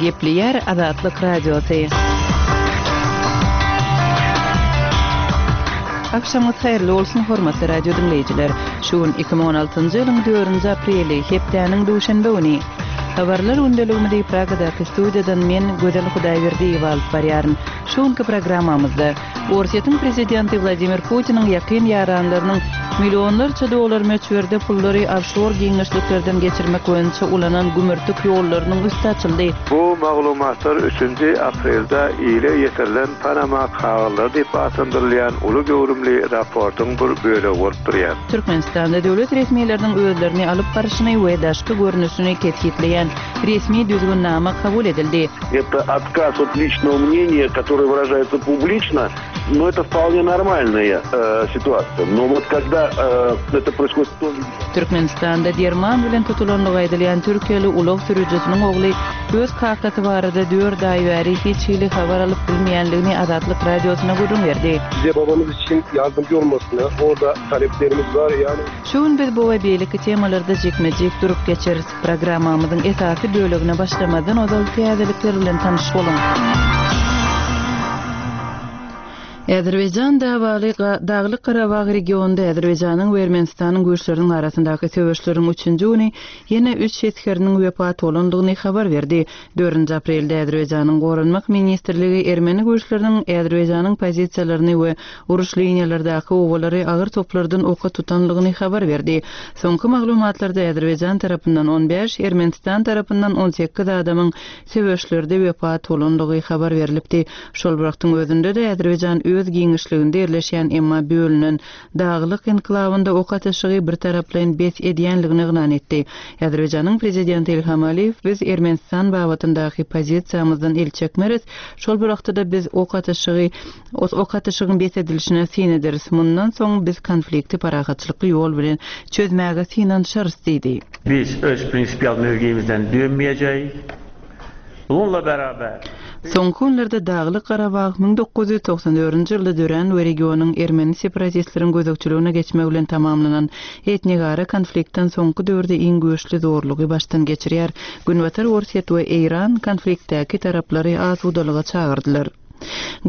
Gepleýär Azatlyk Radiosy. Agşamyňyz haýyrly bolsun, hormatly radio diňleýjiler! Şu gün 2016-njy ýylyň dördünji apreli, hepdäniň duşenbe güni. Habarlar gündeligimizi Pragadaky studiýadan men, Gözel Hudaýberdiýewa alyp barýaryn. Şu günki programmamyzda Orsýetiň prezidenti Wladimir Putiniň ýakyn ýaranlarynyň millionlarça dollar möçberde pullary ofşor giňişliklerden geçirmek boýunça ulanan gümürtik ýollarynyň üsti açyldy. Bu maglumatlar üçünji aprelde ile ýetirilen Panama kagyzlary diýip atlandyrylýan uly göwrümli raportyň bir bölegi bolup durýar. Türkmenistanda döwlet resmileriniň özlerini alyp baryşyny we daşky görnüşini kesgitleýän resmi düzgünnama kabul edildi. Это отказ от личного мнения, которое выражается публично, но это вполне нормальная э, ситуация. Но вот когда э, это происходит... Türkmenistanda derman bilen tutulandygy aýdylýan türkiýeli ulag sürüjisiniň ogly öz kakasy barada dört aý bäri hiç hili habar alyp bilmeýändigini Azatlyk Radiosyna gürrüň berdi. Bize babamyz üçin ýardymjy olmasyny orda taleplerimiz bar ýani. Şu gün biz bu we beýleki temalarda jikme-jik durup geçeris. Programmamyzyň esasy bölegine başlamazdan ozal täzelikler bilen tanyş boluň. Azerbaýjan dawaly Daglyk-Garabag regionynda Azerbaýjanyň we Ermenistanyň güýçleriniň arasyndaky söweşleriň üçünji güni ýene üç esgeriniň wepat bolandygyny habar berdi. Dördünji aprelde Azerbaýjanyň Goranmak ministrligi ermeni güýçleriniň Azerbaýjanyň pozisiýalaryny we uruş liniýalardaky obalary agyr toplardan oka tutanlygyny habar berdi. Soňky maglumatlarda Azerbaýjan tarapyndan 15, Ermenistan tarapyndan 18 adamyň söweşlerde wepat bolandygy habar berlipdi. Şol bir wagtyň özünde-de Azerbaýjan öz giňişliginde ýerleşýän, emma bölünen Daglyk enklawynda ok atyşygy birtaraplaýyn bes edýänligini yglan etdi. Azerbaýjanyň prezidenti Ilham Aliýew Biz Ermenistan babatyndaky pozisiýamyzdan el çekmeris, şol bir wagtda-da biz ok atyşygy ok atyşygyň bes edilişine syn ederis. Mundan soň biz konflikti parahatçylykly ýol bilen çözmäge synanyşarys diýdi. Biz öz prinsipial mövgimizden dönmeyeceğiz. Bununla beraber. Soňky günlerde Daglyk Garabag 1994-nji ýylda dörän we regionyň ermeni separatistleriň gözegçiligine geçmegi bilen tamamlanan etnigara konfliktden soňky döwürde iň güýçli zorlugy başdan geçirýär. Günbatar Orsýet we Eýran konfliktdäki taraplary asudalyga çagyrdylar.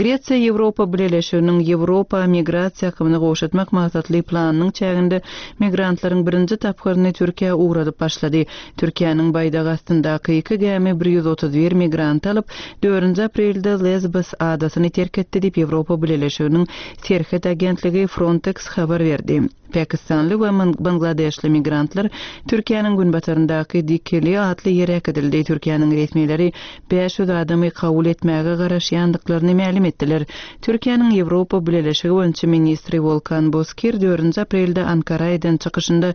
Gresiýa Ýewropa Bileleşiginiň Ýewropa migrasiýa akymyny gowşatmak maksatly planynyň çäginde migrantlaryň birinji tapgyryny Türkiýä ugradyp başlady. Türkiýäniň baýdagy astyndaky iki gämi 131 migranty alyp, dördünji aprelde Lesbos adasyny terk etdi diýip, Ýewropa Bileleşiginiň serhet agentligi Frontex habar berdi. Pakistanly we bangladeşli migrantlar Türkiýäniň günbataryndaky Dikili atly ýere äkidildi. Türkiýäniň resmileri 500 adamy kabul etmäge garaşýandyklaryny mälim etdiler. Türkiýäniň Ýewropa Bileleşigi boýunça ministri Wolkan Bozkir dördünji aprelde Ankara eden çykyşynda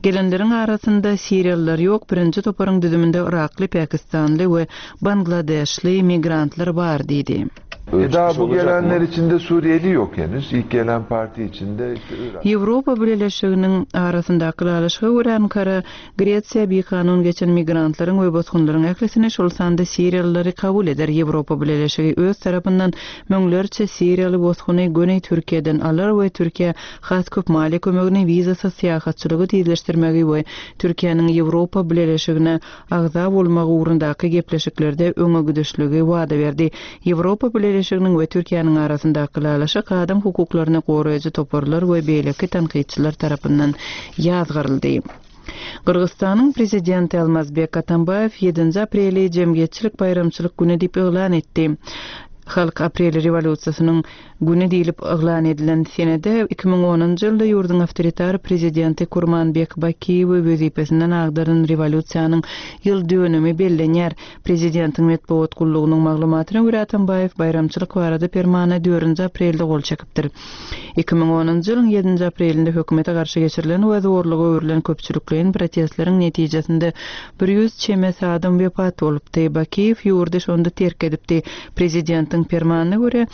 gelenleriň arasynda siriýalylar ýok, birinji toparyň düzüminde yrakly, pakistanly we bangladeşli migrantlar bar diýdi. E daha bu gelenler içinde Suriyeli yok henüz. İlk gelen parti içinde işte Irak. Ýewropa Bileleşiginiň arasyndaky ylalaşyga görä, Ankara Gresiýa bikanun geçen migrantlaryň we bosgunlaryň ählisini, şol sanda siriýalylary kabul eder. Ýewropa Bileleşigi öz tarapyndan müňlerçe siriýaly bosguny göni Türkiýeden alar we Türkiýä has köp maliýe kömegini, wizasyz syýahatçylygy tizleşdirmegi we Türkiýäniň Ýewropa Bileleşigine agza bolmagy ugrundaky gepleşiklerde öňe gidişligi wada berdi. Ýewropa Bileleşiginiň we Türkiýäniň arasyndaky ylalaşyk adam hukuklaryny goraýjy toparlar we beýleki tankytçylar tarapyndan ýazgaryldy. Gyrgyzystanyň Prezidenti Almazbek Atambaýew ýedinji apreli jemgyýetçilik baýramçylyk güni diýip yglan etdi. Halk aprel rewolýusiýasynyň güni diýlip yglan edilen senede 2010-njy ýylda ýurduň awtoritar prezidenti Kurmanbek Bakiýewi wezipesinden agdaran rewolýusiýanyň ýyl dönümi bellenýär. Prezidentiň metbugat gullugynyň maglumatyna görä, Atambaýew baýramçylyk barada permana dördünji aprelde gol çekipdir. 2010-njy ýylyň ýedinji aprelinde hökümete garşy geçirilen we zorluga öwrülen köpçülikleýin protestleriň netijesinde 100 çemesi adam wepat bolupdy. Bakiýew ýurdy şonda terk edipdi. Prezidentiň permanyna görä,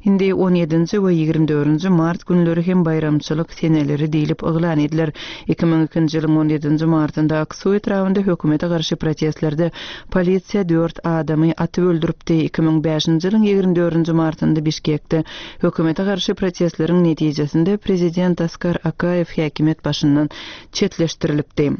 indi on ýedinji we 24-nji mart günleri hem baýramçylyk seneleri diýlip yglan ediler. 2002-nji ýylyň on ýedinji martynda Aksu etrabynda hökümete garşy protestlerde polisiýa dört adamy atyp öldüripdi. 2005-nji ýylyň 24-nji martynda Bişkekde hökümete garşy protestleriň netijesinde prezident Askar Akaýew häkimiýet başyndan çetleşdirilipdi.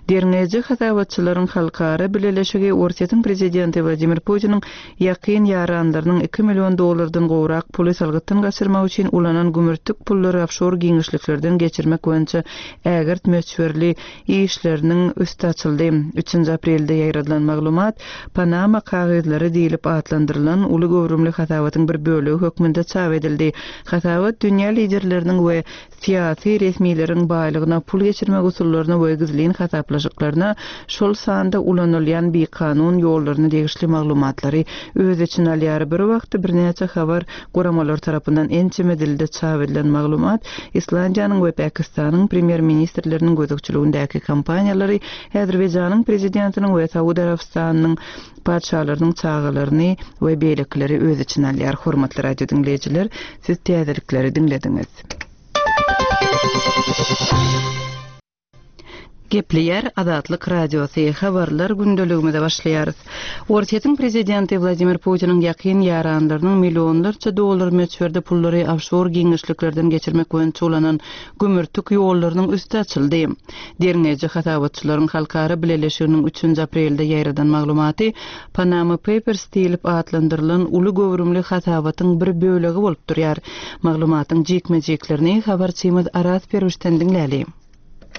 Derňeýji hasabatçylaryň halkara bileleşigi Orsýetiň prezidenti Wladimir Putiniň ýakyn ýaranlarynyň iki million dollardan gowrak puly salgytdan gaçyrmak üçin ulanan gümürtik pullary ofşor giňişliklerden geçirmek boýunça ägirt möçberli işleriniň üsti açyldy. Üçünji aprelde ýaýradylan maglumat Panama kagyzlary diýlip atlandyrylan uly göwrümli hasabatyň bir bölegi hökmünde çap edildi. Hasabat dünýä liderleriniň we syýasy resmileriň baýlygyna pul geçirmek usullaryna we gizlin hasaplaşyklaryna, şol sanda ulanylýan bikanun ýollaryna degişli maglumatlary öz içine alýar. Bir wagtda birnäçe habar guramalary tarapyndan ençeme dilde çap edilen maglumat Islandiýanyň we Pakistanyň premýer-ministrleriniň gözegçiligindäki kompaniýalary, Azerbaýjanyň prezidentiniň we Saud Arabystanynyň patyşalarynyň çagalaryny we beýlekileri öz içine alýar. Hormatly radio diňleýjiler, siz täzelikleri diňlediňiz. Gepleýär Azatlyk Radiosy, Habarlar gündeligimize başlaýarys. Orsýetiň prezidenti Wladimir Putiniň ýakyn ýaranlarynyň millionlarça dollar möçberde pullary ofşor giňişliklerden geçirmek boýunça ulanan gümürtik ýollarynyň üsti açyldy. Derňeýji hasabatçylaryň halkara bileleşiginiň üçünji aprelde ýaýradan maglumaty Panama Papers diýlip atlandyrylan uly göwrümli hasabatyň bir bölegi bolup durýar. Maglumatyň jikme-jiklerini habarçymyz Araz Perwişden diňläli.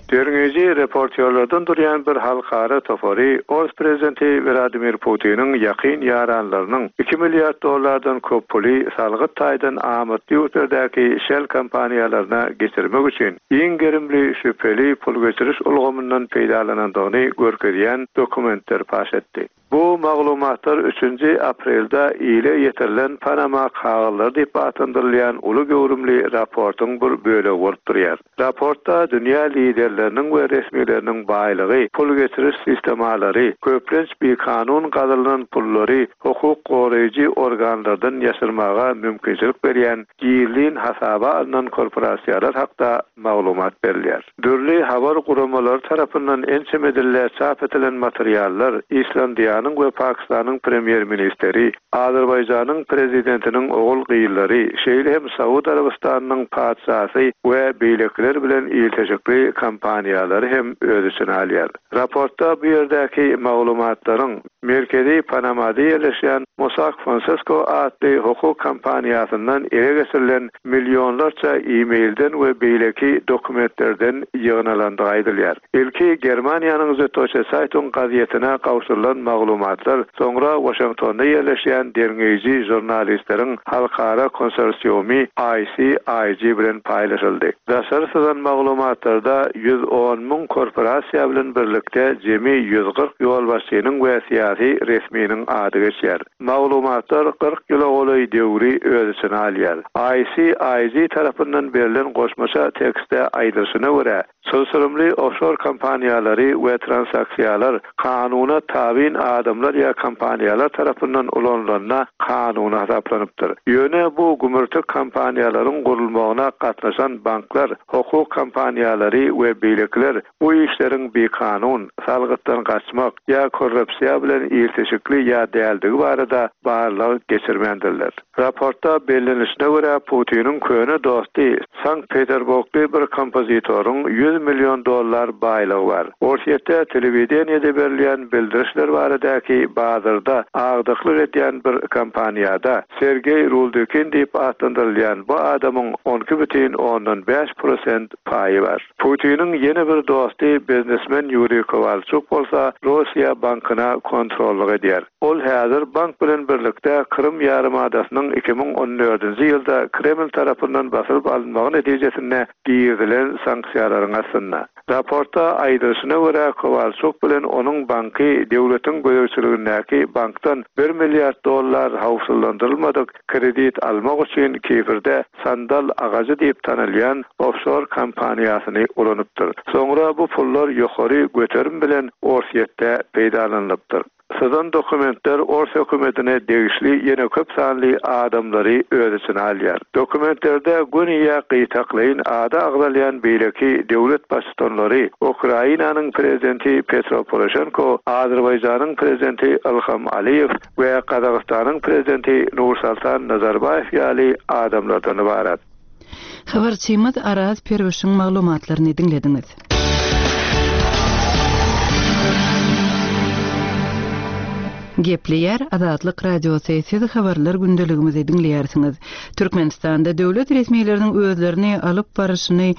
Derňeýji reportýorlardan durýan bir halkara topary ors prezidenti Wladimir Putiniň ýakyn ýaranlarynyň iki milliard dollardan köp puly salgyt taýdan amatly ýurtlardaky şell kompaniýalaryna geçirmek üçin giň gerimli şübheli pul geçiriş ulgamyndan peýdalanandygyny görkezýän dokumentleri paş etdi. Bu maglumatlar üçünji aprelde ile ýetirilen Panama kagyzlary diýip atlandyrylýan uly göwrümli raportyň bir bölegi bolup durýar. Raportda dünýä liderleriniň we resmileriniň baýlygy, pul geçiriş sistemalary, köplenç bikanun gazylynan pullary hukuk goraýjy organlardan ýaşyrmaga mümkinçilik berýän gizlin hasaba alnan korporasiýalar hakda maglumat berilýär. Dürli habar guramalary tarapyndan ençeme dilde çap edilen materiallar Islandiýanyň we Pakistanyň premýer-ministeri, Azerbaýjanyň prezidentiniň ogul-gyzlary, şeýle hem Saud Arabystanynyň patyşasy we beýlekiler bilen ilteşikli kompaniýalary hem öz içine alýar. Raportda bu ýerdäki maglumatlaryň merkezi Panamada ýerleşýän Mossack Fonseca atly hukuk kompaniýasyndan ele geçirilen millionlarça e-mailden we beýleki dokumentlerden ýygnalandygy aýdylýar. Ilki Germaniýanyň Süddeutsche Zeitung gazetine gowşurylan maglumatlar soňra Waşingtonda ýerleşýän derňeýji žurnalistleriň halkara konsorsiumy ICIJ bilen paýlaşyldy. Daşary syzan maglumatlarda 110 müň korporasiýa bilen birlikde jemi 140 ýolbaşçynyň we syýasy resminiň ady geçýär. Maglumatlar 40 ýyla golaý döwri öz içine alýar. ICIJ tarapyndan berlen goşmaça tekstde aýdylyşyna görä, çylşyrymly ofşor kompaniýalary we transaksiýalar kanuna tabyn adamlar ýa kompaniýalar tarapyndan ulanylanda kanuny hasaplanypdyr. Ýöne bu gümürtik kompaniýalaryň gurulmagyna gatnaşan banklar, hukuk kompaniýalary we beýlekiler Bu işleriň bikanun, salgytdan gaçmak ýa korrupsiýa bilen ilteşikli ýa däldigi barada barlag geçirmändirler. Raportda bellenilişine görä, Putiniň köne dosty, Sankt-Peterburgly bir kompozitoryň 100 million dollar baýlygy bar. Orsýetde telewideniýede berilýän bildirişler baradaky bazarda agdyklyk edýän bir kompaniýada Sergeý Ruldykin diýip atlandyrylýan bu adamyň 12 bütin ondan bäş prosent paýy bar. Putiniň ýene bir dosty biznesmen Ýuriý Kowalçuk bolsa Rossiýa bankyna kontrollyk edýär. Ol häzir bank bilen birlikde Krym ýarymadasynyň 2014-nji ýylda Kreml tarapyndan basylyp alynmagy netijesinde girizilen sanksiýalaryň astynda. Raportda aýdylyşyna görä, Kowalçuk bilen onuň banky döwletiň gözegçiligindäki bankdan bir milliard dollar howpsuzlandyrylmadyk kredit almak üçin Kiprde Sandal agajy diýip tanalýan ofşor kompaniýasyny ulanypdyr. Soňra bu pullar ýokary göterim bilen Orsýetde peýdalanylypdyr. Syzan dokumentler ors hökümetine degişli ýene köp sanly adamlary öz içine alýar. Dokumentlerde göni ýa gytaklaýyn ady agzalýan beýleki döwlet baştutanlary, Ukrainanyň prezidenti Petro Poroşenko, Azerbaýjanyň prezidenti Ilham Aliýew, we Gazagystanyň Prezidenti Nursultan Nazarbaýew ýaly adamlardan ybarat. Habarçymyz Araz Perwişiň maglumatlaryny diňlediňiz. Gepleýär Azatlyk Radiosy, Siz habarlar gündeligimizi diňleýärsiňiz. Türkmenistanda döwlet resmileriniň özlerini alyp baryşyny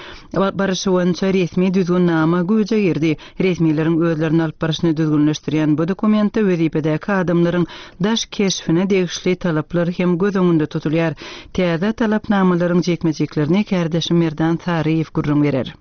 baryşy boýunça resmi düzgünnama güýje girdi. Resmileriň özlerini alyp baryşyny düzgünleşdirýän bu dokumentde wezipedäki adamlaryň daş keşbine degişli talaplar hem göz öňünde tutulýar. Täze talapnamalaryň jikme-jiklerini kärdeşim Merdan Saryýew gürrüň berer.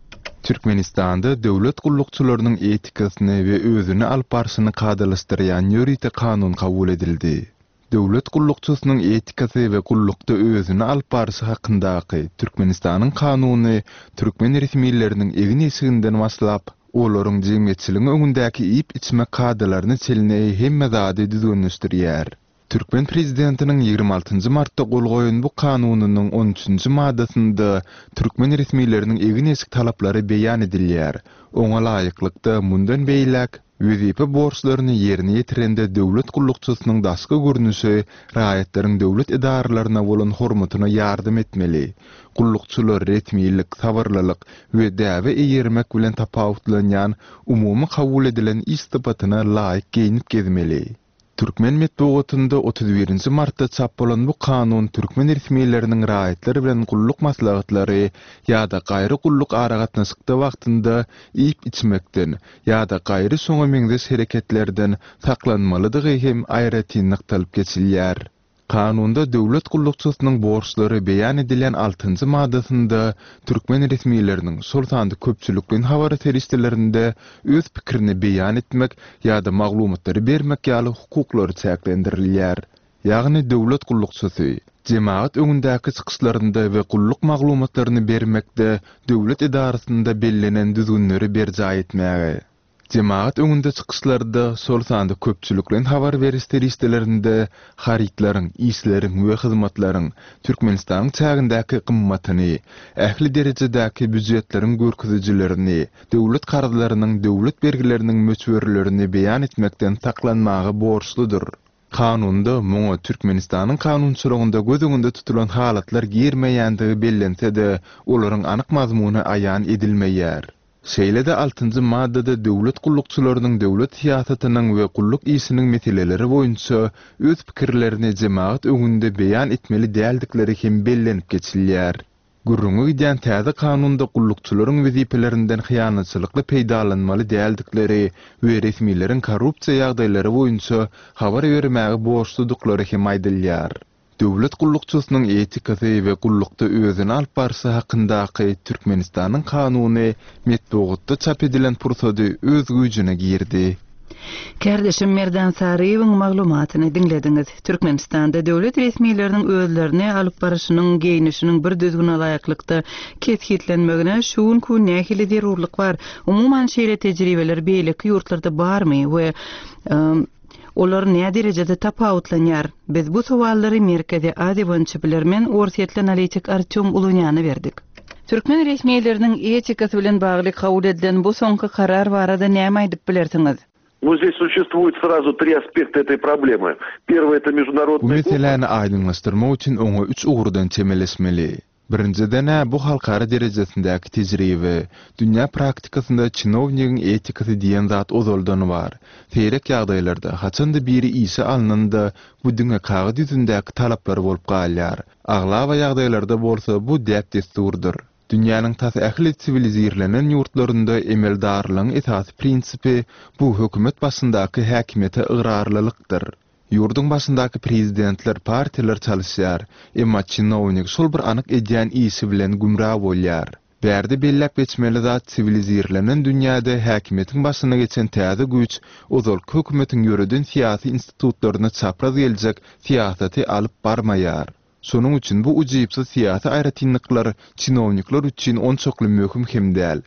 Türkmenistanda döwlet gullukçylarynyň etikasyny we özüni alyp barşyny kadalaşdyrýan ýörite kanun kabul edildi. Döwlet gullukçysynyň etikasy we gullukda özüni alyp barşy hakyndaky Türkmenistanyň Kanuny türkmen resmileriniň egin-eşiginden başlap, olaryň jemgyýetçiligiň öňündäki iýip-içmek kadalaryna çenli hemme zady düzgünleşdirýär. Türkmen prezidentiniň 26 nji martda gol goýan bu kanunynyň on üçünji maddasynda türkmen resmileriniň egin-eşik talaplary beýan edilýär. Oňa laýyklykda, mundan beýläk, wezipe borçlaryny ýerine ýetirende döwlet gullukçysynyň daşky görnüşi raýatlaryň döwlet edaralaryna bolan hormatyna ýardam etmeli. Gullukçylar resmilik, sabyrlylyk we däbe eýermek bilen tapawutlanýan umumy kabul edilen iş sypatyna laýyk geýnip gezmeli. Türkmen metbugatynda 31 nji martda çap bolan bu kanun türkmen resmileriniň raýatlar bilen gulluk maslahatlary ýa-da gaýry gulluk aragatnaşykda wagtynda iýip-içmekden ýa-da gaýry şoňa meňzeş hereketlerden saklanmalydygy hem aýratyn nygtalyp geçilýär. Kanunda döwlet gullukçysynyň borçlary beýan edilýän altynjy maddasynda türkmen resmileriniň, şol sanda köpçülikleýin habar serişdelerinde öz pikirini beýan etmek ýa-da maglumatlary bermek ýaly hukuklary çäklendirilýär. Ýagny döwlet gullukçysy, jemagat öňündäki çykyşlarynda we gulluk maglumatlaryny bermekde döwlet edarasynda bellenen düzgünleri berjaý etmäge. Jemagat öňünde çykyşlarda, şol sanda köpçülikleýin habar beriş serişdelerinde harytlaryň, işleriň we hyzmatlaryň Türkmenistanyň çägindäki gymmatyny, ähli derejedäki býujetleriň görkezijilerini, döwlet karzlarynyň, döwlet bergileriniň möçberlerini beýan etmekden saklanmaga borçludyr. Kanunda muňa Türkmenistanyň kanunçylygynda göz öňünde tutulan halatlar girmeýändigi bellense-de, olaryň anyk mazmuny aýan edilmeýär. Şeýle-de altynjy maddada döwlet gullukçylarynyň döwlet syýasatynyň we gulluk işiniň meseleleri boýunça öz pikirlerini jemagat öňünde beýan etmeli däldikleri hem bellenip geçilýär. Gürrüňi gidýän täze kanunda gullukçylaryň wezipelerinden hyýanatçylykly peýdalanmaly däldikleri we resmileriň korrupsiýa ýagdaýlary boýunça habar bermäge borçludyklary hem aýdylýar. Döwlet gullukçysynyň etikasy we gullukda özüni alyp barşy hakyndaky Türkmenistanyň Kanuny metbugatda çap edilen pursady öz güýjüne girdi. Kärdeşim Merdan Saryýewiň maglumatyny diňlediňiz. Türkmenistanda döwlet resmileriniň özlerini alyp baryşynyň, geýnişiniň bir düzgüne laýyklykda kesgitlenmegine şu günki gün nähili zerurlyk bar? Umuman şeýle tejribeler beýleki ýurtlarda barmy we Olar näderejede tapawutlanýar? Biz bu sowallary Merkezi Aziýa boýunça bilermen, orsýetli analitik Artýom Ulunýana berdik. Türkmen resmileriniň etikasy bilen bagly kabul edilen bu soňky karar barada näme aýdyp bilersiňiz? Ну здесь существует сразу три aspekta этой проблемы. Первый это Bu международный meseläni aýdyňlaşdyrmak üçin oňa üç ugurdan çemeleşmeli. Birinjiden-ä, bu halkara derejesindäki tejribe. Dünýä praktikasynda çinownigiň etikasy diýen zat ozaldan bar. Seýrek ýagdaýlarda, haçan-da biri işe alnanda, bu diňe kagyz ýüzündäki talaplar bolup galýar. Aglaba ýagdaýlarda bolsa bu däp-dessurdyr. Dünýäniň tas ähli siwilizirlenen ýurtlarynda emeldarlygyň esasy prinsipi bu hökümet başyndaky häkimiýete ygrarlylykdyr. Ýurduň başyndaky prezidentler, partiýalar çalyşýar, emma çinownik şol bir anyk edýän işi bilen gümra bolýar. Bärde belläp geçmeli zat siwilizirlenen dünýäde häkimiýetiň başyna geçen täze güýç ozalky hökümetiň ýöreden syýasy institutlaryna çapraz geljek syýasaty alyp barmaýar. Şonuň üçin bu ujypsyz syýasy aýratynlyklar çinownikler üçin onçakly möhüm hem däl.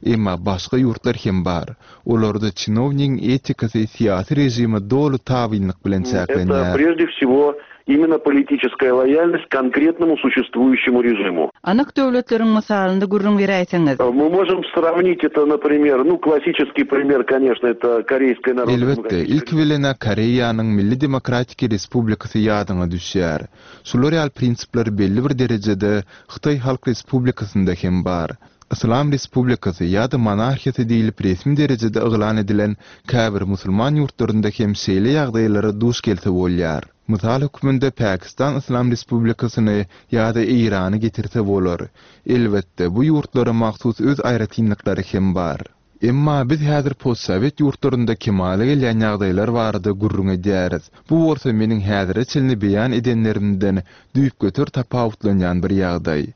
Emma başga ýurtlar hem bar. Olarda çinownigiň etikasy syýasy režime doly tabynlyk bilen Это çäklenýär. прежде всего именно политическая лояльность конкретному существующему режиму. Anyk döwletleriň mysalynda gürrüň beräýseňiz. Мы можем сравнить это, например, ну, классический пример, конечно, это Корейская Elbetde, Народно-Демократическая ilki bilen-ä Koreýanyň Milli Demokratiki Respublikasy ýadyňa düşýär. Şular ýaly prinsipler belli bir derejede Hytaý Halk Respublikasynda hem bar. Yslam respublikasy ýa-da monarhiýasy diýlip resmi derejede yglan edilen käbir musulman ýurtlarynda hem şeýle ýagdaýlara duş gelse bolýar. Mysal hökmünde Pakistan Yslam Respublikasyny ýa-da Eýrany getirse bolar. Elbetde, bu ýurtlara mahsus öz aýratynlyklary hem bar. Emma biz häzir postsowet ýurtlarynda kemala gelýän ýagdaýlar barada gürrüň edýäris. Bu bolsa meniň häzire çenli beýan edenlerimden düýpgöter tapawutlanýan bir ýagdaý.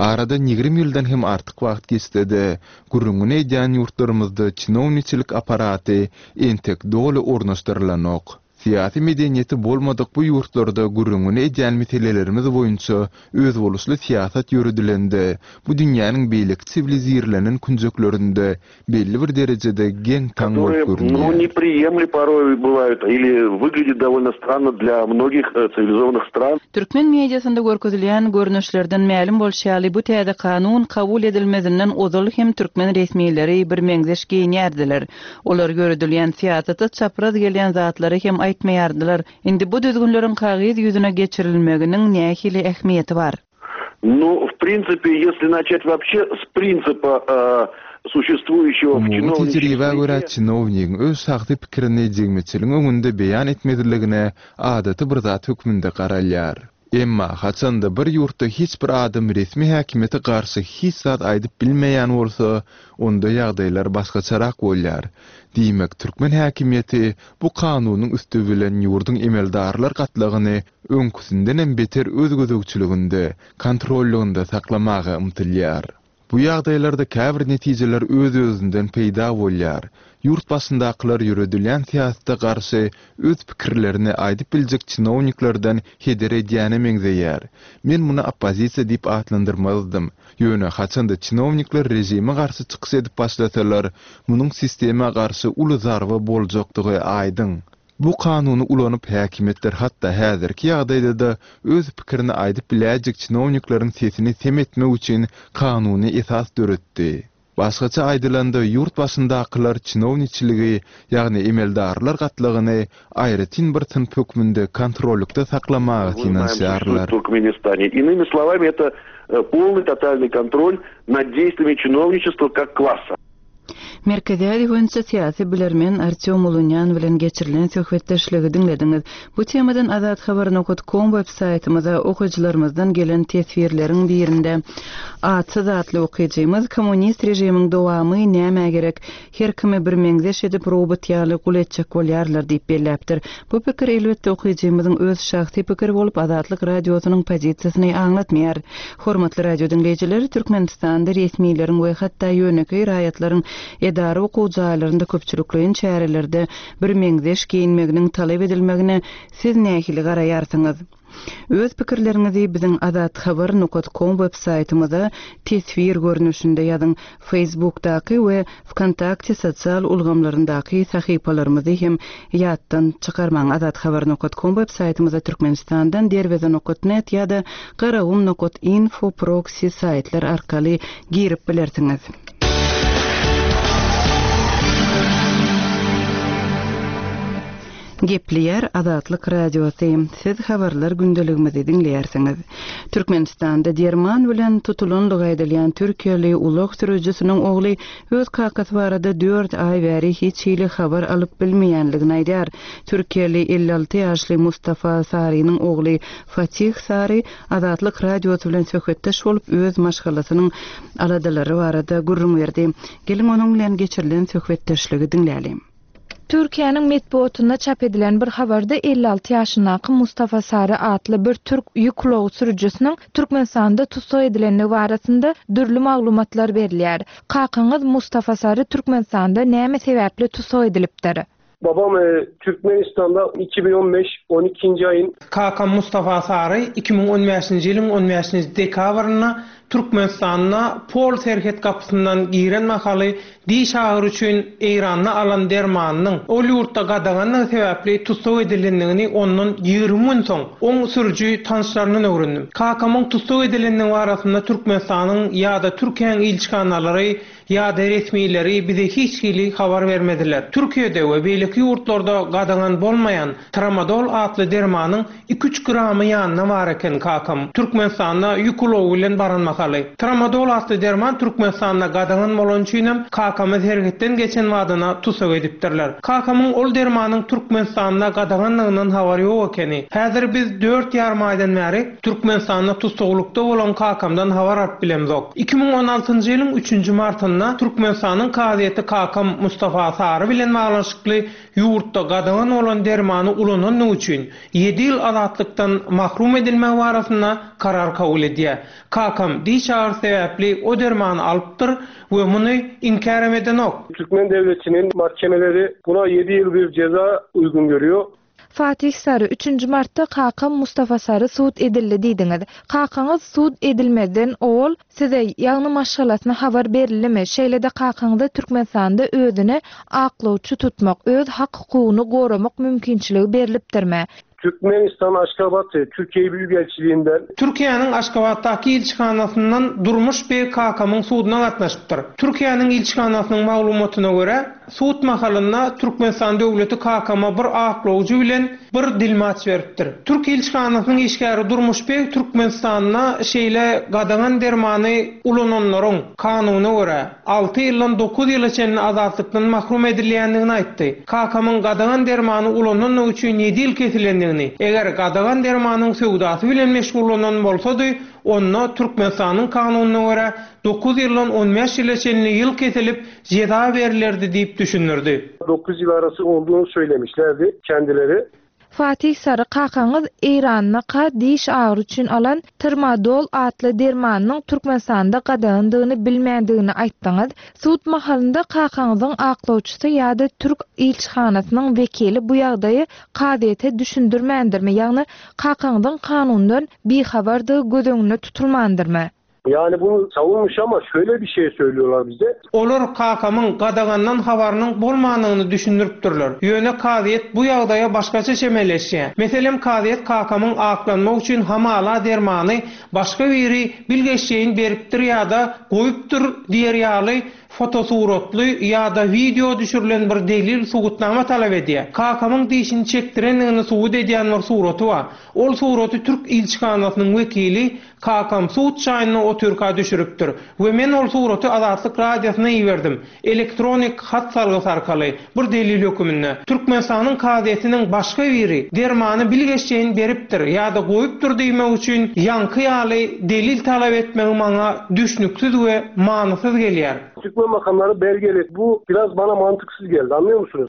Aradan 20 ýyldan hem artyk wagt geçse-de, gürrüňini edýän ýurtlarymyzda çinowniçilik apparaty entek doly ornaşdyrylanok. Syýasy medeniýeti bolmadyk bu ýurtlarda gürrüňini edýän meselelerimiz boýunça özboluşly syýasat ýöredilende, bu dünýäniň beýleki siwilizirlenen künjeklerinde belli bir derejede geň-taň bolup Которые, ну, görünýär. неприемли порой бывают или выглядят довольно странно для многих э, цивилизованных стран. Türkmen mediasynda görkezilýän görnüşlerden mälim bolşy ýaly, bu täze kanun kabul edilmezinden ozal hem türkmen resmileri birmeňzeş geýinýärdiler. Olar ýöredilýän syýasata çapraz gelýän zatlary hem aýtmaýardylar. Indi bu düzgünleriň kagyz ýüzüne geçirilmeginiň nähili ähmiýeti bar? Nu, w prinsipe, ýesli naçat wapşe s prinsipa suşestwuýuşego w Umumy çinowniçiý tejribä görä, srede. çinownigiň öz şahsy pikirini jemgyýetçiligiň öňünde beýan etmezligine adaty bir zat hökmünde garalýar. Emma, haçanda bir ýurtda hiç bir adam resmi häkimiýete garşy hiç zat aýdyp bilmeýän bolsa, onda ýagdaýlar başgaçarak bolýar. Diýmek, türkmen häkimiýeti bu kanunyň üsti bilen ýurduň emeldarlar gatlagyny öňküsindenem beter öz gözegçiliginde, kontrollygynda saklamaga ymtylýar. Bu ýagdaýlarda käbir netijeler öz-özünden peýda bolýar. Ýurt başyndakylar ýöredilýän syýasata garşy öz pikirlerini aýdyp biljek çinowniklerden heder edýäne meňzeýär. Men muny oppozisiýa diýip atlandyrmazdym. Ýöne haçanda çinownikler režime garşy çykyş edip başlasalar, munuň sistema garşy uly zarba boljakdygy aýdyň. Bu kanuny ulanyp häkimiýetler hatda häzirki ýagdaýda-da öz pikirini aýdyp biläýjek çinownikleriň sesini sem etmek üçin kanuny esas döretdi. Başgaça aýdylanda ýurt başyndakylar çinowniçiligi, ýagny emeldarlar gatlagyny aýratyn bir synp hökmünde kontrollykda saklamaga synanyşýarlar. Иными словами, это полный тотальный контроль над действиями чиновничества как класса. Merkezi Aziýa boýunça syýasy bilermen Artýom Ulunýan bilen geçirilen söhbetdeşligi diňlediňiz. Bu temadan Azathabar nokat kom web saýtymyza okyjylarymyzdan gelen teswirleriň birinde Atsyz atly okyjymyz Kommunist režimiň dowamy nämä gerek? Her kimi birmeňzeş edip robot ýaly gul etjek bolýarlar diýip belläpdir. Bu pikir elbetde okyjymyzyň öz şahsy pikiri bolup Azatlyk Radiosynyň pozisiýasyny aňlatmaýar. Hormatly radio diňleýjiler, Türkmenistanda resmileriň we hatda ýönekeý raýatlaryň edara okuw jaýlarynda köpçülikleýin çärelerde birmeňzeş geýinmeginiň talap edilmegine siz nähili garaýarsyňyz? Öz pikirleriňizi biziň azathabar nokat kom web saýtymyza teswir görnüşinde ýazyň. Facebookdaky we Wkontakte sosial ulgamlaryndaky sahypalarymyzy hem ýatdan çykarmaň. Azathabar nokat kom web saýtymyza Türkmenistandan Derweze nokat net ýa-da Garagum nokat info proksi saýtlar arkaly girip bilersiňiz. Gepleýär Azatlyk Radiosy, Siz habarlar gündeligimizi diňleýärsiňiz. Türkmenistanda derman bilen tutulanlygy aýdylýan türkiýeli ulag sürüjisiniň ogly öz kakasy barada dört aý bäri hiç hili habar alyp bilmeýänligini aýdýar. Türkiýeli 56 ýaşly Mustafa Sarynyň ogly Fatih Sary Azatlyk Radiosy bilen söhbetdeş bolup, öz maşgalasynyň aladalary barada gürrüň berdi. Geliň onuň bilen geçirilen söhbetdeşligi diňläliň. Türkiýäniň metbugatynda çap edilen bir habarda 56 ýaşyndaky Mustafa Sary atly bir türk ýük ulagy sürüjisiniň Türkmenistanda tussag edilendigi barasynda dürli maglumatlar berilýär. Kakaňyz Mustafa Sary Türkmenistanda näme sebäpli tussag edilipdir? Babam Türkmenistanda 2015 on ikinji aýyn. Kakam Mustafa Sary 2015-nji ýylyň on bäşinji dekabrynda Türkmenistanda Pol serhet gapysyndan giren mahaly diş agyry üçin Eýranda alan dermanynyň ol ýurtda gadagandygy sebäpli tussag edilendigini ondan 20 gün soň, oň sürüji tanyşlaryndan öwrendim. Kakamyň tussag edilendigi barasynda Türkmenistanyň ýa-da Türkiýäň ilçihanalary ýa-da resmileri bize hiç hili habar bermediler. Türkiýede we beýleki ýurtlarda gadagan bolmaýan tramadol atly dermanyň iki-üç gramy ýanynda bar eken kakam Türkmenistanda ýük ulagy bilen baran mahaly. mahaly. Tramadol atly derman Türkmenistanda gadagan bolany üçinem kakamy serhetden geçen badyna tussag edipdirler. Kakamyň ol dermanyň Türkmenistanda gadaganlygyndan habary ýok ekeni. Häzir biz dört ýarym aýdan bäri Türkmenistanda tussaglykda bolan kakamdan habar alyp bilemzok. 2016-njy ýylyň üçünji martynda Türkmenistanyň kazyýeti kakam Mustafa Sary bilen baglanyşykly ýurtda gadagan bolan dermany ulanandygy üçin ýedi ýyl azatlykdan mahrum edilmegi barasynda karar kabul edýär. Kakam diş agyrysy sebäpli o dermany alypdyr we muny inkärem edenok. Türkmen döwletiniň mahkemeleri buna ýedi ýyl bir jeza uýgun görýär. Fatih Sary, Üçünji martda kakam Mustafa Sary sud edildi diýdiňiz. Kakaňyz sud edilmezden owal size, ýagny maşgalasyna habar berildimi? Şeýle-de kakaňyza Türkmenistanda özüne aklawçy tutmak, öz hak-hukugyny goramak mümkinçiligi berlipdirmi? Türkmenistan Aşgabat Türkiye Büyükelçiliğinden. Türkiýäniň Aşgabatdaky ilçihanasyndan Durmuş beg kakamyň suduna gatnaşypdyr. Türkiýäniň ilçihanasynyň maglumatyna görä, sud mahalynda Türkmenistan döwleti kakama bir aklawjy bilen bir dilmaç beripdir. Türk ilçihanasynyň işgäri Durmuş beg Türkmenistanda şeýle gadagan dermany ulananlaryň, kanuna görä, alty ýyldan dokuz ýyla çenli azatlykdan mahrum edilýändigini aýtdy. Kakamyň gadagan dermany ulanandygy üçin ýedi ýyl kesilendigini, eger gadagan dermanyň söwdasy bilen meşgullanan bolsady, onda Türkmenistanyň kanunyna görä, dokuz ýyldan on bäş ýyla çenli ýyl kesilip, jeza berlerdi diýip düşündirdi. Dokuz ýyl arasy olduğunu söylemişlerdi kendileri. Fatih Sary kakaňyz Eýrandaka diş agyry üçin alan Trmadol atly dermanynyň Türkmenistanda gadagandygyny bilmändigini aýtdyňyz. Sud mahalynda kakaňyzyň aklawçysy ýa-da türk ilçihanasynyň wekili bu ýagdaýy kazyýete düşündirmändirmi, ýagny kakaňyzyň kanundan bihabardygy göz öňünde tutulmandyrmy? Yani bunu savunmuş ama şöyle bir şey söylüyorlar bize. Olar kakamyň gadagandan habarynyň bolmandygyny düşündiripdirler. Ýöne kazyýet bu ýagdaýa başgaça çemeleşýär. Meselem, kazyýet kakamyň aklanmak üçin hamala dermany başga biri bilgeşleýin beripdir ýa-da goýupdyr diýer ýaly fotosuratly ýa-da wideo düşürilen bir delil subutnama talap edýär. Kakamyň dişini çekdirendigini subut edýän bir suraty bar. Ol suraty türk ilçihanasynyň wekili Kakam sud çaýyny otyrka düşüripdir we men ol suraty Azatlyk Radiosyna iberdim, elektronik hat salgysy arkaly, bir delil höküminde. Türkmenistanyň kazyýetiniň başga biri dermany bilgeşleýin beripdir ýa-da goýupdyr diýmek üçin ýaňky ýaly delil talap etmegi maňa düşnüksiz we manysyz gelýär. Türkmen makamlary belgeli. Bu biraz bana mantıksız geldi, anlıyor musunuz?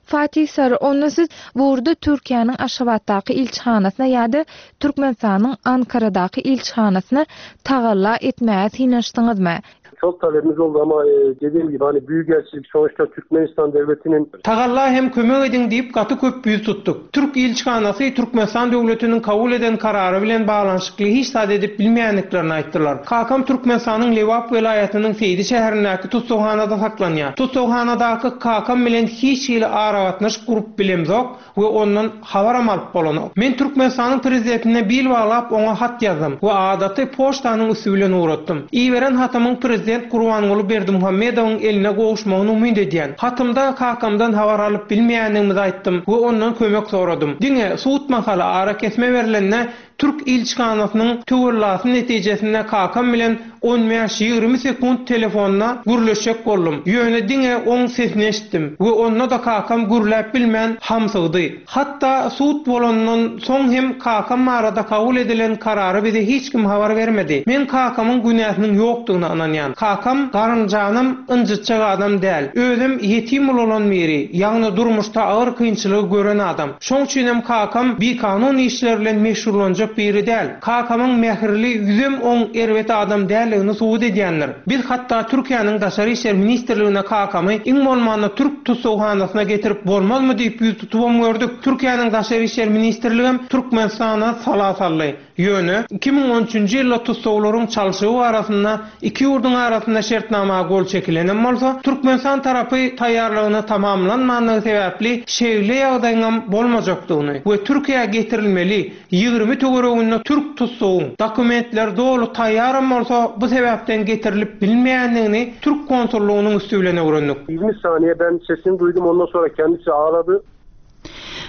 Fatih Sary, onda siz bu ugurda Türkiýäniň Aşgabatdaky ilçihanasyna ýa-da Türkmenistanyň Ankaradaky ilçihanasyna tagalla etmäge synanyşdyňyzmy? Çok talebimiz oldu ama dediğim gibi hani büyükelçilik sonuçta Türkmenistan devletinin. Tagalla hem kömek ediň diýip gaty köp ýüz tutduk. Türk ilçihanasy Türkmenistan döwletiniň kabul eden karary bilen baglanyşykly hiç zat edip bilmeýändiklerini aýtdylar. Kakam Türkmenistanyň Lebap welaýatynyň Seýdi şäherindäki tussaghanada saklanýar. Tussaghanadaky kakam bilen hiç hili aragatnaşyk gurup bilemzok we ondan habaram alyp bolanok. Men Türkmenistanyň Prezidentine bil baglap oňa hat ýazdym we adaty poçtanyň üsti bilen ugratdym. Iberen hatymyň Prezident Gurbanguly Berdimuhamedowyň eline gowuşmagyny umyt edýän. Hatymda kakamdan habar alyp bilmeýändigimizi aýtdym we ondan kömek soradym. Diňe sud mahaly arakesme berlende Türk ilçihanasynyň töwellasy netijesinde kakam bilen on bäş-ýigrimi sekunt telefonda gürleşjek boldum. Ýöne diňe oň sesini eşitdim we onda-da kakam gürläp bilmän hamsygdy. Hatda sud bolandan soň hem kakam barada kabul edilen karary bize hiç kim habar bermedi. Men kakamyň günäsiniň ýokdugyna ynanýan. Kakam garynjanam ynjytjak adam däl. Özem ýetim ulalan biri, ýagny durmuşda agyr kynçylygy gören adam. Şoň üçinem kakam bikanun işler bilen meşgullanjak biri däl. Kakamyň mähirli ýüzem oň erbet adam däldigini subut edýändir. Biz hatda Türkiýäniň Daşary işler ministrligine kakamy iň bolmanda türk tussaghanasyna getirip bolmazmy diýip ýüz tutubam gördük. Türkiýäniň Daşary işler ministrligem Türkmenistana sala saldy. Ýöne, 2013-nji ýylda tussaglaryň çalşygy barasynda iki ýurduň arasynda şertnama gol çekilenem bolsa, Türkmenistan tarapy taýýarlygyny tamamlanmandygy sebäpli şeýle ýagdaýyňam bolmajakdygyny we Türkiýä getirilmeli 20 töwereginde türk tussagyň dokumentleri doly taýýaram bolsa bu sebäpden getirilip bilinmeýändigini türk konsullygynyň üsti bilen öwrendik. 20 saniye ben sesini duydum ondan sonra kendisi ağladı.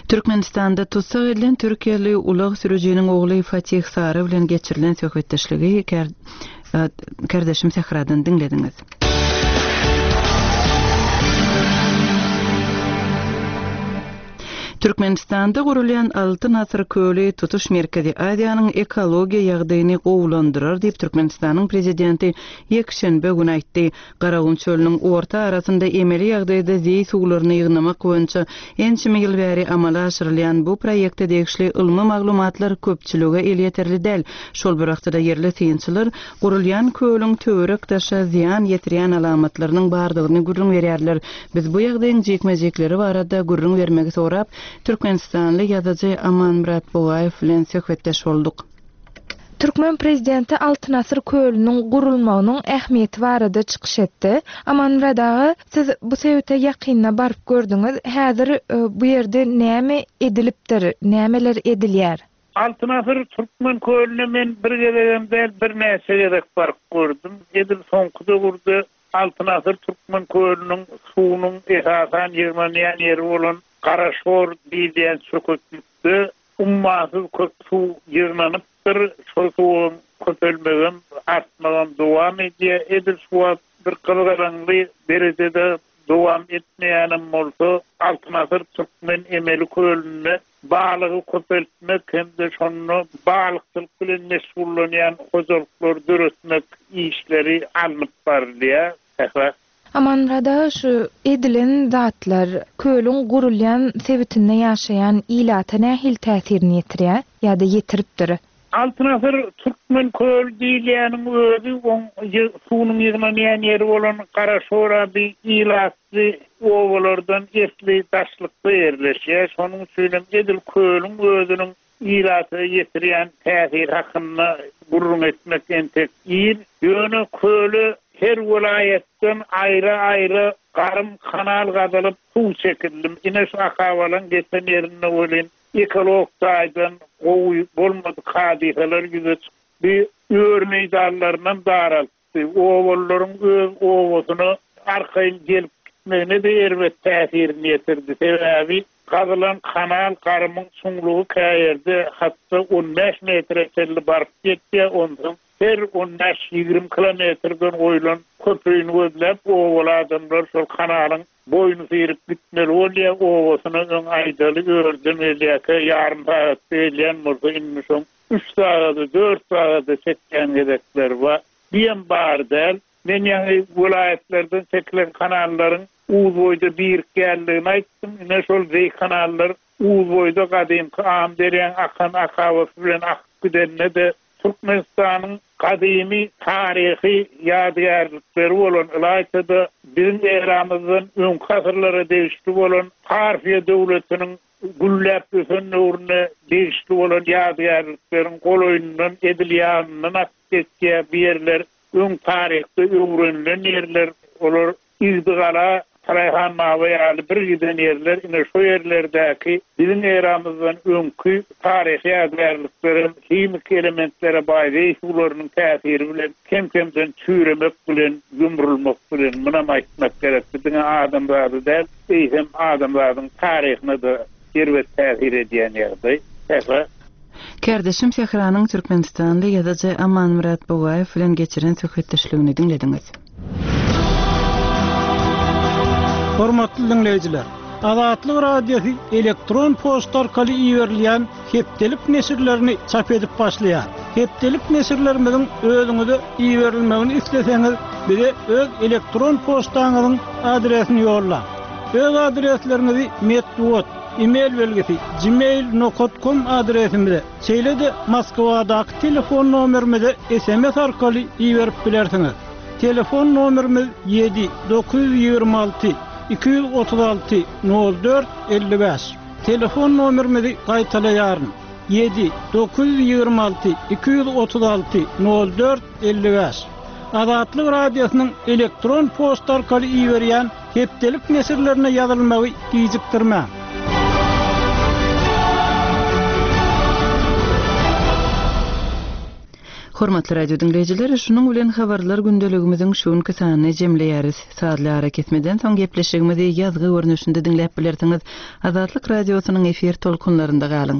Türkmenistanda tussag edilen türkiýeli ulag sürüjiniň ogly Fatih Sary bilen geçirilen söhbetdeşligi. Kärdeşim Sähradan diňlediňiz. Türkmenistanda gurulýan Altyn asyr köli tutuş Merkezi Aziýanyň ekologiýa ýagdaýyny gowulandyrar diýip, Türkmenistanyň Prezidenti ýekşenbe güni aýtdy. Garagum çölüniň orta arasynda emeli ýagdaýda zeý suwlaryny ýygnamak boýunça ençeme ýyl bäri amala aşyrylýan bu proýekte degişli ylmy maglumatlar köpçülige elýeterli däl. Şol bir wagtda-da ýerli synçylar gurulýan kölüň töwerek-daşa zyýan ýetirýän alamatlarynyň bardygyny gürrüň berýärler. Biz bu ýagdaýyň jikme-jikleri barada gürrüň bermegi sorap, türkmenistanly ýazyjy Amanmyrat Bugaýew bilen söhbetdeş bolduk. Türkmen prezidenti Altyn asyr kölüniň gurulmagynyň ähmiýeti barada çykyş etdi. Amanmyrat aga, siz bu sebite ýakynda baryp gördüňiz. Häzir bu ýerde näme edilipdir, nämeler edilýär? Altyn asyr türkmen kölüne men bir gezegem däl, birnäçe gezek baryp gördüm. Edil soňky döwürde Altyn asyr türkmen kölüniň suwunyň esasan ýygnanýan ýeri bolan Garaşor diýilýän çöketlikde ummasyz köp suw ýygnanypdyr. Şol suwuň köpelmegem, artmagam dowam edýär. Edil şu wagt bir gyzgalaňly derejede dowam etmeýänem bolsa, Altyn asyr türkmen emeli kölünde balygy köpeltmek hem-de şonda balykçylyk bilen meşgullanýan hojalyklary döretmek işleri alnyp barylýar. Sähra. Amanmyrat aga, şu edilen zatlar kölüň gurulýan sebitinde ýaşaýan ilata nähili täsirini ýetirýär ýa-da ýetiripdir? Altyn asyr türkmen köli diýilýäniň özi oň suwunyň ýygnanýan ýeri bolan Garaşoraby ilatly obalardan esli daşlykda ýerleşýär. Şonuň üçinem edil kölüň özüniň ilata ýetirýän täsiri hakynda gürrüň etmek entek ir. Ýöne köle her welaýatdan aýra-aýra garym kanal gazylyp suw çekildi. Ine şu akabalaň geçen ýerinde welin Ekologik taýdan gowy bolmadyk hadysalar ýüze çykdy, öri meýdanlarynam daraltdy, obalylaryň öz obasyna arkaýyn gelip gitmegine-de erbet täsirini ýetirdi, sebäbi gazylan kanal garymyň çuňlugy käýerde hatda on bäş metre çenli baryp ýetýär, onsoň her on bäş-ýigrimi kilometrden goýlan köprüni gözläp obaly adamlar şol kanalyň Boýny syryp gitmeli bolýa obasyna öň aýdaly örden gelýäkä ýarym sagatda gelýän bolsa indi şoň üç sagady dört sagada çekýän gezekleri bar. Biýem bar däl. Men ýaňy welaýatlardan çekilen kanallaryň Uzboýda birikýänligini aýtdym. Ine şol zeý kanallar Uzboýda gadymky Amyderýaň akan akabasy bilen akyp gidende-de Türkmenistanyň gadymy taryhy ýadygärlikleri bolan, ylaýta-da biziň eramyzdan öňki asyrlara degişli bolan Parfiýa döwletiniň gülläp ösen döwrüne degişli bolan ýadygärlikleriň golaýyndan, edil ýanyndan akyp geçýär. Bu ýerler öň taryhda öwrenilen ýerler. Olar Igdigala, Taraýhan baba ýaly bir giden ýerler, ine şo ýerlerdäki biziň eramyzdan öňki taryhy ýadygärliklerem himiki elementlere baý zeý suwlarynyň täsiri bilen kem-kemden çüýremek bilen, ýumrulmak bilen, munam aýtmak gerek, bu diňe adamzady däl, eýsem adamzadyň taryhyna-da erbet täsir edýän ýagdaý. Sähra. Kärdeşim Sähranyň türkmenistanly ýazyjy Amanmyrat Bugaýew bilen geçiren söhbetdeşligini diňlediňiz. Hormatly diňleýjiler! Azatlyk Radiosy elektron poçta arkaly iberilýän hepdelik neşirlerini çap edip başlaýar. Hepdelik neşirlerimiziň özüňize iberilmegini isleseňiz, bize öz elektron poçtaňyzyň adresini ýollaň. Öz adresleriňizi metbugat, e-mail belgisi, gmail nokat kom adresimize, şeýle-de Moskwadaky telefon nomerimize sms arkaly iberip bilersiňiz. Telefon nomerimiz ýedi, 926 236 04 55. Telefon nomerimizi gaýtalaýaryn, ýedi, 926 236 04 55. Azatlyk Radiosynyň elektron poçta arkaly iberýän Hepdelik neşirlerine ýazylmagy gijikdirmäň. Hormatly radio diňleýjiler, şunuň bilen Habarlar gündeligimiziň şu günki sanyny jemleýäris. Sazly arakesmeden soň gepleşigimizi ýazgy görnüşinde diňläp bilersiňiz. Azatlyk Radiosynyň efir tolkunlarynda galyň.